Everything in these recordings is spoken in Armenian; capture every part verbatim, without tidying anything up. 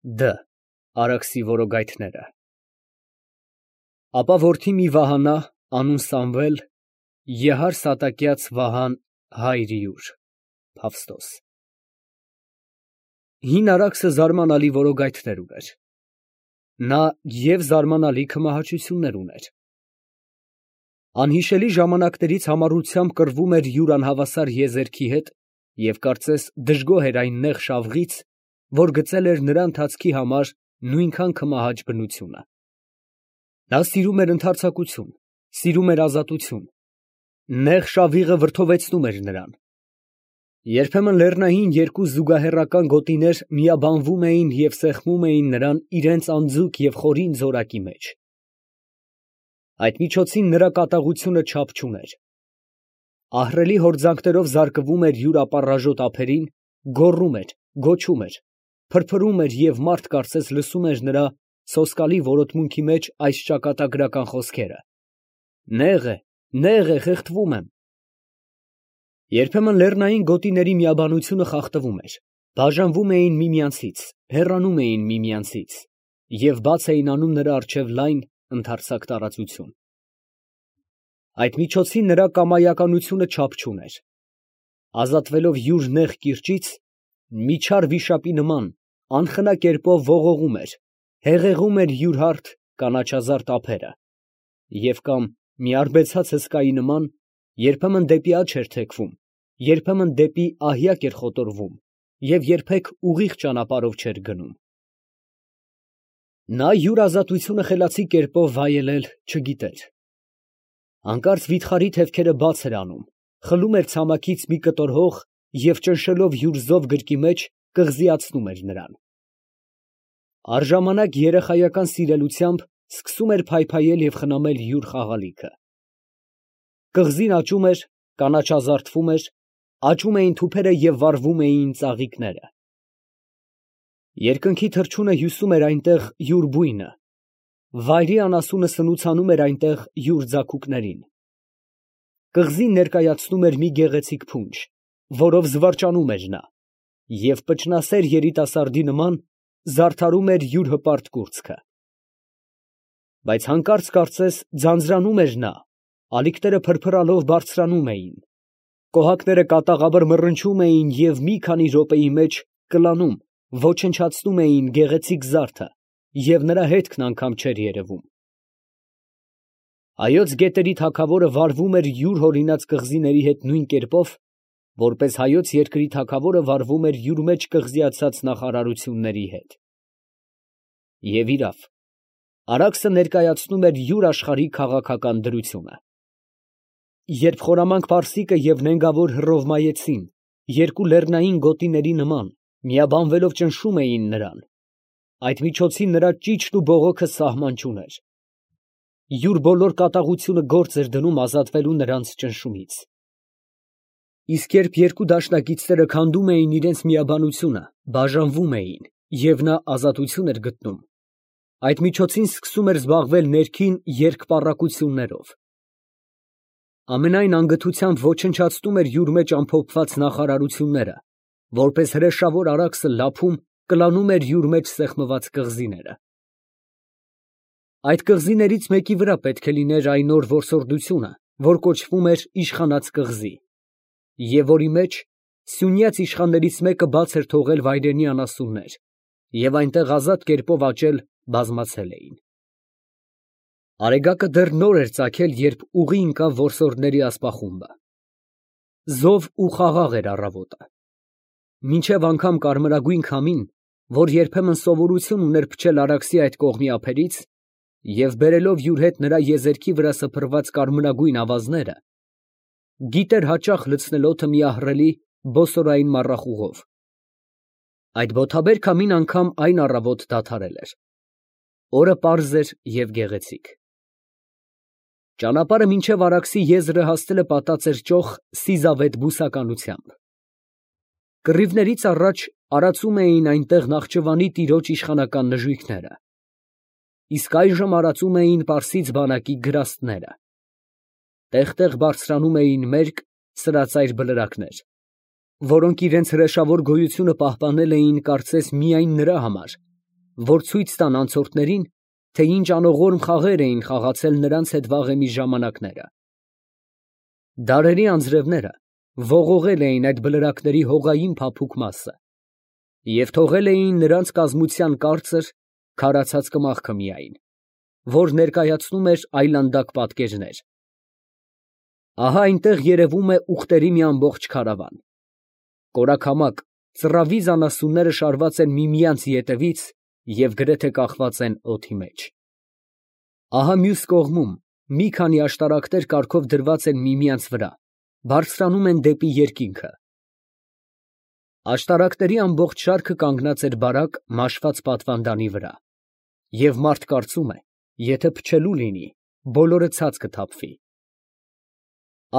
Դ. Արաքսի որոգայթները։ Ապա որդի մի վահանա, անուն Սամվել, եհար սատակյաց Վահան հայր յուր, Փավստոս։ Հին Արաքսը զարմանալի որոգայթներ ուներ. նա և զարմանալի քմահաճություններ ուներ։ Անհիշելի ժամանակներից համառությամբ կռվում էր յուր անհավասար եզերքի հետ և կարծես դժգոհ էր այն նեղ շավղից, որ գծել էր նրա ընթացքի համար նույնքան քմահաճ բնությունը։ Նա սիրում էր ընդարձակություն, սիրում էր ազատություն, նեղ շավիղը վրդովեցնում էր նրան։ Երբեմն լեռնային երկու զուգահեռական գոտիներ միաբանվում էին և սեղմում էին նրան իրենց անձուկ և խորին զորակի մեջ։ Այդ միջոցին նրա կատաղությունը չափ չուներ։ Ահռելի հորձանքներով զարկվում էր յուր ապառաժոտ ափերին, գոռում էր, գոչում էր, փրփրում էր և մարդ կարծես լսում էր նրա սոսկալի որոտմունքի մեջ այս ճակատագրական խոսքերը. «Նեղ է, նեղ է, խեղդվում եմ»։ Երբեմն լեռնային գոտիների միաբանությունը խախտվում էր, բաժանվում էին միմյանցից, հեռանում էին միմյանցից և բաց էին անում նրա առջև լայն, ընդարձակ տարածություն։ Այդ միջոցին նրա կամայականությունը չափ չուներ։ Ազատվելով յուր նեղ կիրճից, մի չար վիշապի նման, անխնա կերպով ողողում էր, հեղեղում էր յուր հարթ, կանաչազարդ ափերը և կամ մի արբեցած հսկայի նման, երբեմն դեպի աջ էր թեքվում, երբեմն դեպի ահյակ էր խոտորվում և երբեք ուղիղ ճանապարհով չէր գնում։ Նա յուր ազատությունը խելացի կերպով վայելել չգիտեր։ Հանկարծ վիթխարի թևքերը բաց էր անում, խլում էր ցամաքից մի կտոր հող և ճնշելով յուր զով գրկի մեջ, կղզիացնում էր նրան։ Առժամանակ երեխայական սիրելությամբ սկսում էր փայփայել և խնամել յուր խաղալիքը։ Կղզին աճում էր, կանաչազարդվում էր, աճում էին թուփերը և վառվում էին ծաղիկները։ Երկնքի թռչունը հյուսում էր այնտեղ յուր բույնը, վայրի անասունը սնուցանում էր այնտեղ յուր ձագուկներին։ Կղզին ներկայացնում էր մի գեղեցիկ փունջ, որով զվարճանում էր նա, և պճնասեր երիտասարդի նման զարդարում էր յուր հպարտ կուրծքը։ Բայց հանկարծ կարծես ձանձրանում էր նա, ալիքները փրփրալով բարձրանում էին, կոհակները կատաղաբր մռնչում էին և մի քանի րոպեի մեջ կլանում, ոչնչացնում էին գեղեցիկ զարդը և նրա հետքն անգամ չէր երևում։ Հայոց գետերի թագավորը վարվում էր յուր հորինած կղզիների հետ նույն կերպով, որպես հայոց երկրի թագավորը վարվում էր յուր մեջ կղզիացած նախարարությունների հետ։ Եվ իրավ, Արաքսը ներկայացնում էր յուր աշխարհի քաղաքական դրությունը։ Երբ խորամանկ պարսիկը և նենգավոր հռովմայեցին, երկու լեռնային գոտիների նման, միաբանվելով ճնշում էին նրան, այդ միջոցին նրա ճիչն ու բողոքը սահման չուներ։ Յուր բոլոր կատաղությունը գործ էր դնում ազատվելու նրանց ճնշումից։ Իսկ երբ երկու դաշնակիցները քանդում էին իրենց միաբանությունը, բաժանվում էին, և նա ազատություն էր գտնում, այդ միջոցին սկսում էր զբաղվել ներքին երկպառակություններով։ Ամենայն անգթությամբ ոչնչացնում էր յուր մեջ ամփոփված նախարարությունները, որպես հրեշավոր Արաքսը լափում, կլանում էր յուր մեջ սեղմված կղզիները։ Այդ կղզիներից մեկի վրա պետք է լիներ այն օր որսորդությունը, որ կոչվում էր Իշխանած կղզի, և որի մեջ սյունյաց իշխաններից մեկը բաց էր թողել վայրենի անասուններ և այնտեղ ազատ կերպով աճել բազմացել էին։ Արեգակը դեռ նոր էր ծագել, երբ ուղի ընկավ որսորդների ասպախումբը։ Զով ու խաղաղ էր առավոտը։ Մինչև անգամ կարմրագույն քամին, որ երբեմն սովորություն ուներ փչել Արաքսի այդ կողմի ափերից և բերելով յուր հետ նրա եզերքի վրա սփռված կարմրագույն ավազները, գիտեր հաճախ լցնել օդը մի ահռելի բոսորային մառախուղով։ Այդ բոթաբեր քամին անգամ այն առավոտ դադարել էր։ Օրը պարզ էր և գեղեցիկ։ Ճանապարհը մինչև Արաքսի եզրը հասնելը պատած էր ճոխ սիզավետ բուսականությամբ։ Կռիվներից առաջ արածում էին այնտեղ Նախճվանի տիրոջ իշխանական նժույգները, իսկ այժմ արածում էին պարսից բանակի գրաստները։ Տեղ֊տեղ բարձրանում էին մերկ, սրածայր բլրակներ, որոնք իրենց հրեշավոր գոյությունը պահպանել էին կարծես միայն նրա համար, որ ցույց տան անցորդներին, թե ինչ անողորմ խաղեր էին խաղացել նրանց հետ վաղեմի ժամանակները։ Դարերի անձրևները ողողել էին այդ բլրակների հողային փափուկ մասը և թողել էին նրանց կազմության կարծր, քարացած կմախքը միայն, որ ներկայացնում էր այլանդակ պատկերներ։ Ահա այնտեղ երևում է ուղտերի մի ամբողջ քարավան։ Կորակամակ, ծռավի անասունները շարված են միմյանց ետևից և գրեթե կախված են օդի մեջ։ Ահա մյուս կողմում մի քանի աշտարակներ կարգով դրված են միմյանց վրա, բարձրանում են դեպի երկինքը։ Աշտարակների ամբողջ շարքը կանգնած էր բարակ մաշված պատվանդանի վրա, և մարդ կարծում է, եթե փչելու լինի, բոլորը ցած կթափվի։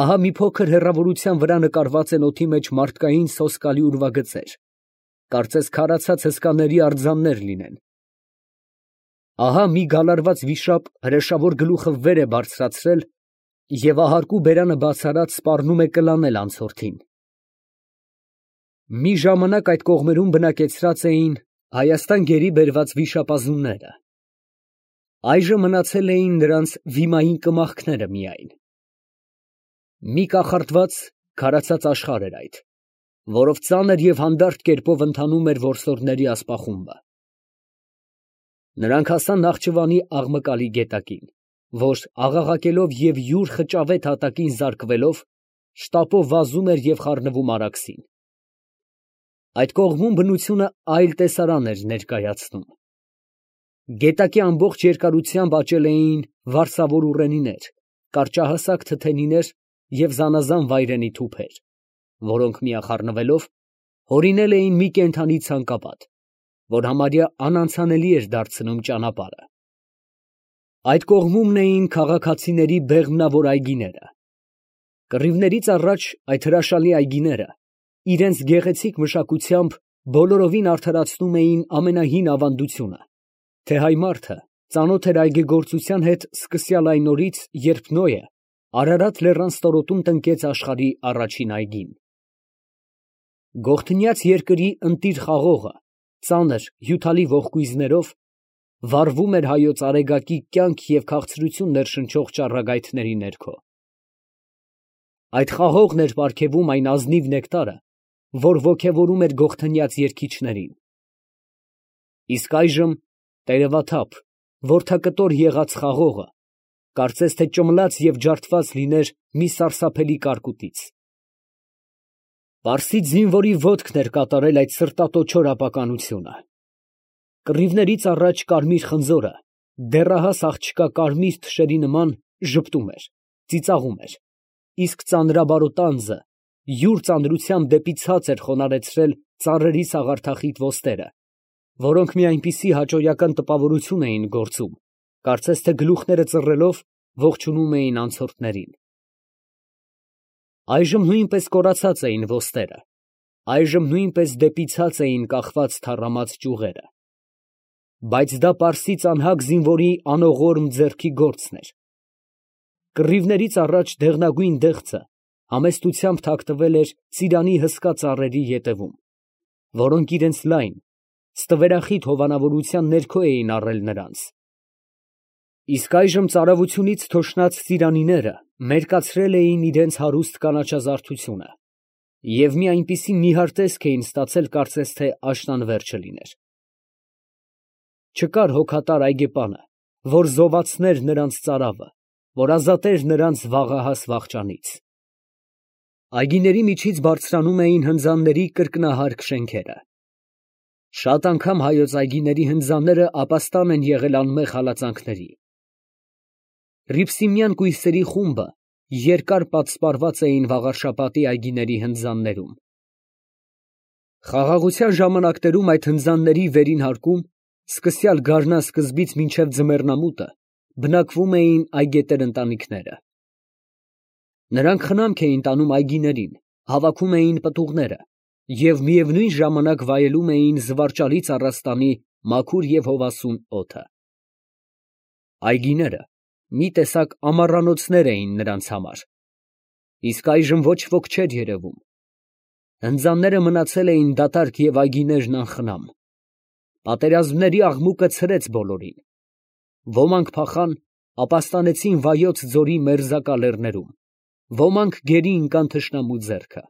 Ահա մի փոքր հեռավորության վրա նկարված են օդի մեջ մարդկային սոսկալի ուրվագծեր, կարծես քարացած հսկաների արձաններ լինեն։ Ահա մի գալարված վիշապ հրեշավոր գլուխը վեր է բարձրացրել և ահարկու բերանը բաց արած սպառնում է կլանել անցորդին։ Մի ժամանակ այդ կողմերում բնակեցրած էին Հայաստան գերի բերված վիշապազունները, այժմ մնացել էին նրանց վիմային կմախքները միայն։ Մի կախարդված, քարացած աշխարհ էր այդ, որով ծանր և հանդարտ կերպով ընթանում էր որսորդների ասպախումբը։ Նրանք հասան Նախճիվանի աղմկալի գետակին, որ աղաղակելով և յուր խճավետ հատակին զարկվելով, շտապով վազում էր և խառնվում Արաքսին։ Այդ կողմում բնությունը այլ տեսարան էր ներկայացնում։ Գետակի ամբողջ երկարությամբ աճել էին վարսավոր ուռենիներ, կարճահասակ թթենիներ և զանազան վայրենի թուփեր, որոնք միախառնվելով հորինել էին մի կենդանի ցանկապատ, որ համարյա անանցանելի էր դարձնում ճանապարհը։ Այդ կողմումն էին քաղաքացիների բեղմնավոր այգիները։ Կռիվներից առաջ այդ հրաշալի այգիները իրենց գեղեցիկ մշակությամբ բոլորովին արդարացնում էին ամենահին ավանդությունը, թե հայ մարդը ծանոթ էր այգեգործության հետ սկսյալ այն օրից, երբ Նոյը Արարատ լեռան ստորոտում տնկեց աշխարհի առաջին այգին։ Գողթնյաց երկրի ընտիր խաղողը, ծանր, հյութալի ողկույզներով, վառվում էր հայոց արեգակի կյանք և քաղցրություն ներշնչող ճառագայթների ներքո։ Այդ խաղողն էր պարգևում այն ազնիվ նեկտարը, որ ոգևորում էր գողթնյաց երգիչներին։ Իսկ այժմ տերևաթափ, որդակտոր եղած խաղողը, կարծես թե ճմլաց և ջարդված լիներ մի սարսափելի կարկուտից։ Պարսից զինվորի ոտքն էր կատարել այդ սրտատոչոր ապականությունը։ Կռիվներից առաջ կարմիր խնձորը, դեռահաս աղջկա կարմիր թշերի նման, ժպտում էր, ծիծաղում էր, իսկ ծանրաբարոտ անձը յուր ծանրությամբ դեպի ցած էր խոնարհեցրել ծառերի սաղարթախիտ ոստերը, որոնք մի այնպիսի հաճոյական տպավորություն էին գործում, կարծես թե գլուխները ծռելով ողջունում էին անցորդներին։ Այժմ նույնպես կորացած էին ոստերը, այժմ նույնպես դեպի ցած էին կախված թառամած ճյուղերը, բայց դա պարսից անհակ զինվորի անողորմ ձեռքի գործն էր։ Կռիվներից առաջ դեղնագույն դեղձը համեստությամբ թաքնվել էր ծիրանի հսկա ծառերի ետևում, որոնք իրենց լայն, ստվերախիտ հովանավորության ներքո էին առել նրանց։ Իսկ այժմ ծարավությունից թոշնած ծիրանիները մերկացրել էին իրենց հարուստ կանաչազարդությունը և մի այնպիսի նիհար տեսք էին ստացել, կարծես թե աշնան վերջը լիներ։ Չկար հոգատար այգեպանը, որ զովացներ նրանց ծարավը, որ ազատեր նրանց վաղահաս վախճանից։ Այգիների միջից բարձրանում էին հնձանների կրկնահարկ շենքերը։ Շատ անգամ հայոց այգիների հնձանները ապաստան են եղել անմեղ հալածանքների։ Ռիփսիմյան կույսերի խումբը երկար պատսպարված էին Վաղարշապատի այգիների հնձաններում։ Խաղաղության ժամանակներում այդ հնձանների վերին հարկում, սկսյալ գարնան սկզբից մինչև ձմեռնամուտը, բնակվում էին այգետեր ընտանիքները։ Նրանք խնամք էին տանում այգիներին, հավաքում էին պտուղները և միևնույն ժամանակ վայելում էին զվարճալի ծառաստանի մաքուր և հովասուն օդը։ Այգիները մի տեսակ ամառանոցներ էին նրանց համար, իսկ այժմ ոչ ոք չէր երևում։ Հնձանները մնացել էին դատարկ և այգիներն անխնամ։ Պատերազմների աղմուկը ցրեց բոլորին. ոմանք փախան, ապաստանեցին Վայոց ձորի մերձակա լեռներում, ոմանք գերի ընկան թշնամու ձեռքը։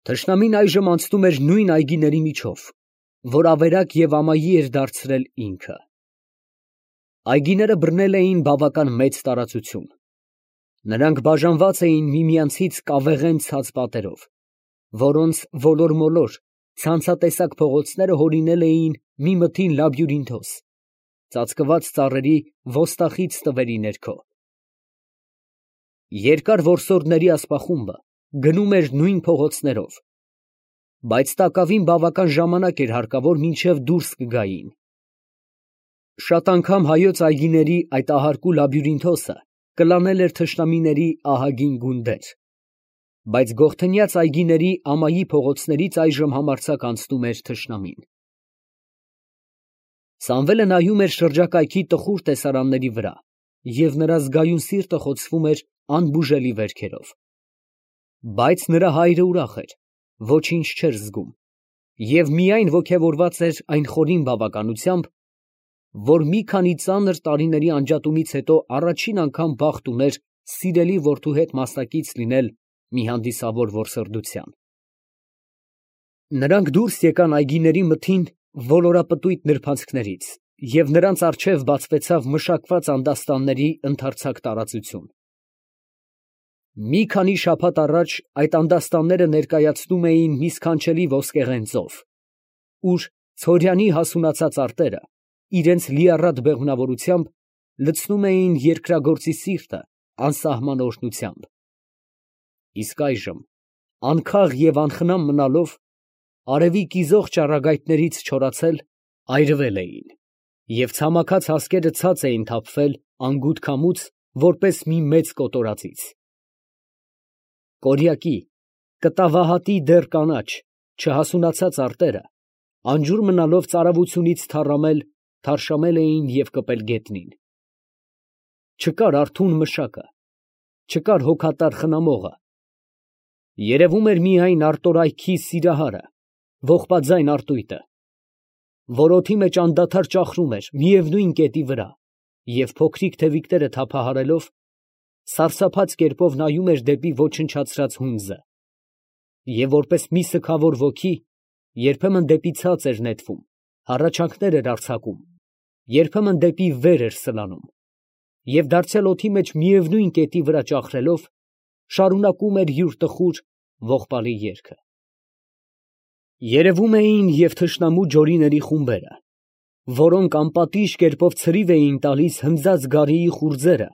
Թշնամին այժմ անցնում էր նույն այգիների միջով, որ ավերակ և ամայի էր դարձրել ինքը։ Այգիները բռնել էին բավական մեծ տարածություն։ Նրանք բաժանված էին միմյանցից կավեղեն ցած պատերով, որոնց ոլոր-մոլոր, ցանցատեսակ փողոցները հորինել էին մի մթին լաբյուրինթոս, ծածկված ծառերի ոստախից տվերի ներքո։ Երկար որսորդների ասպախումբը գնում էր նույն փողոցներով, բայց տակավին բավական ժամանակ էր հարկավոր, մինչև դուրս կգային։ Շատ անգամ հայոց այգիների այդ ահարկու լաբյուրինթոսը կլանել էր թշնամիների ահագին գունդեր, բայց գողթնյաց այգիների ամայի փողոցներից այժմ համարձակ անցնում էր թշնամին։ Սամվելը նայում էր շրջակայքի տխուր տեսարանների վրա, և նրա զգայուն սիրտը խոցվում էր անբուժելի վերքերով։ Բայց նրա հայրը ուրախ էր, ոչինչ չէր զգում, և միայն ոգևորված էր այն խորին բավականությամբ, որ մի քանի ծանր տարիների անջատումից հետո առաջին անգամ բախտ ուներ սիրելի որդու հետ մասնակից լինել մի հանդիսավոր որսորդության։ Նրանք դուրս եկան այգիների մթին ոլորապտույտ նրբանցքներից, և նրանց առջև բացվեցավ մշակված անդաստանների ընդարձակ տարածություն։ Մի քանի շաբաթ առաջ այդ անդաստանները ներկայացնում էին մի սքանչելի ոսկեղեն ծով, ուր Ցորյանի հասունացած արտերը իրենց լիառատ բեղմնավորությամբ լցնում էին երկրագործի սիրտը անսահման օրհնությամբ։ Իսկ այժմ, անքաղ և անխնամ մնալով, արևի կիզող ճառագայթներից չորացել, այրվել էին, և ցամաքած հասկերը ցած էին թափվել անգութ քամուց, որպես մի մեծ կոտորածից։ Կորյակի, կտավահատի դեռ կանաչ, չհասունացած արտերը, անջուր մնալով ծարավությունից թառամել, թարշամել էին և կպել գետնին։ Չկար արթուն մշակը, չկար հոգատար խնամողը, երևում էր միայն արտորայքի սիրահարը, ողբաձայն արտույտը, որ օդի մեջ անդադար ճախրում էր միևնույն կետի վրա և փոքրիկ թևիկները թափահարելով, սարսափած կերպով նայում էր դեպի ոչնչացրած հունձը, և որպես մի սգավոր ոգի երբեմն դեպի ցած էր նետվում, հառաչանքներ էր արձակում, երբեմն դեպի վեր էր սլանում, և դարձյալ օդի մեջ միևնույն կետի վրա ճախրելով, շարունակում էր յուր տխուր, ողբալի երգը։ Երևում էին և թշնամու ջորիների խումբերը, որոնք անպատիժ կերպով ցրիվ էին տալիս հնձած գարիի խուրձերը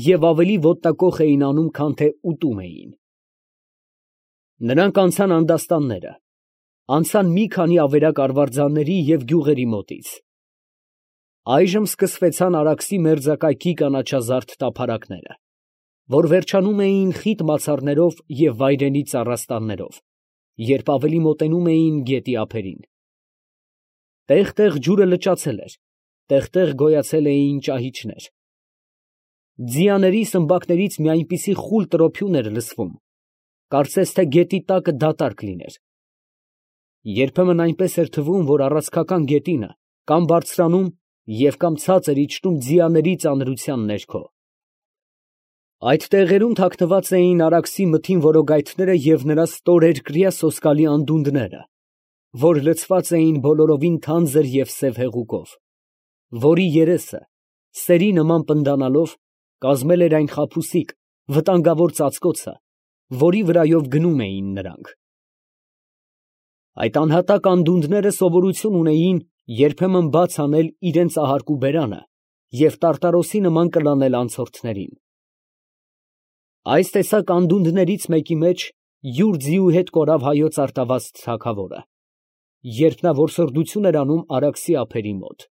և ավելի ոտնակոխ էին անում, քան թե ուտում էին։ Նրանք անցան անդաստանները, անցան մի քանի ավերակ արվարձանների և գյուղերի մոտից։ Այժմ սկսվեցան Արաքսի մերձակայքի կանաչազարդ տափարակները, որ վերջանում էին խիտ մացառներով և վայրենի ծառաստաններով, երբ ավելի մոտենում էին գետի ափերին։ Տեղ֊տեղ ջուրը լճացել էր, տեղ֊տեղ գոյացել էին ճահիճներ։ Ձիաների սմբակներից մի այնպիսի խուլ տրոփյուն էր լսվում, կարծես թե գետի տակը դատարկ լիներ։ Երբեմն այնպես էր թվում, որ առանցքական գետինը կամ բարձրանում և կամ ցածր իջնում ձիաների ծանրության ներքո։ Այդ տեղերում թաքնված էին Արաքսի մթին որոգայթները և նրա ստորերկրյա սոսկալի անդունդները, որ լցված էին բոլորովին թանձր և սև հեղուկով, որի երեսը, սերի նման պնդանալով, կազմել էր այն խաբուսիկ, վտանգավոր ծածկոցը, որի վրայով գնում էին նրանք։ Այդ անհատակ անդունդները սովորություն ունեին երբեմն բաց անել իրենց ահարկու բերանը և տարտարոսի նման կլանել անցորդներին։ Այս տեսակ անդունդներից մեկի մեջ յուր ձիու հետ կորավ հայոց արտավազդ թագավորը, երբ նա որսորդություն էր անում Արաքսի ափերի մոտ։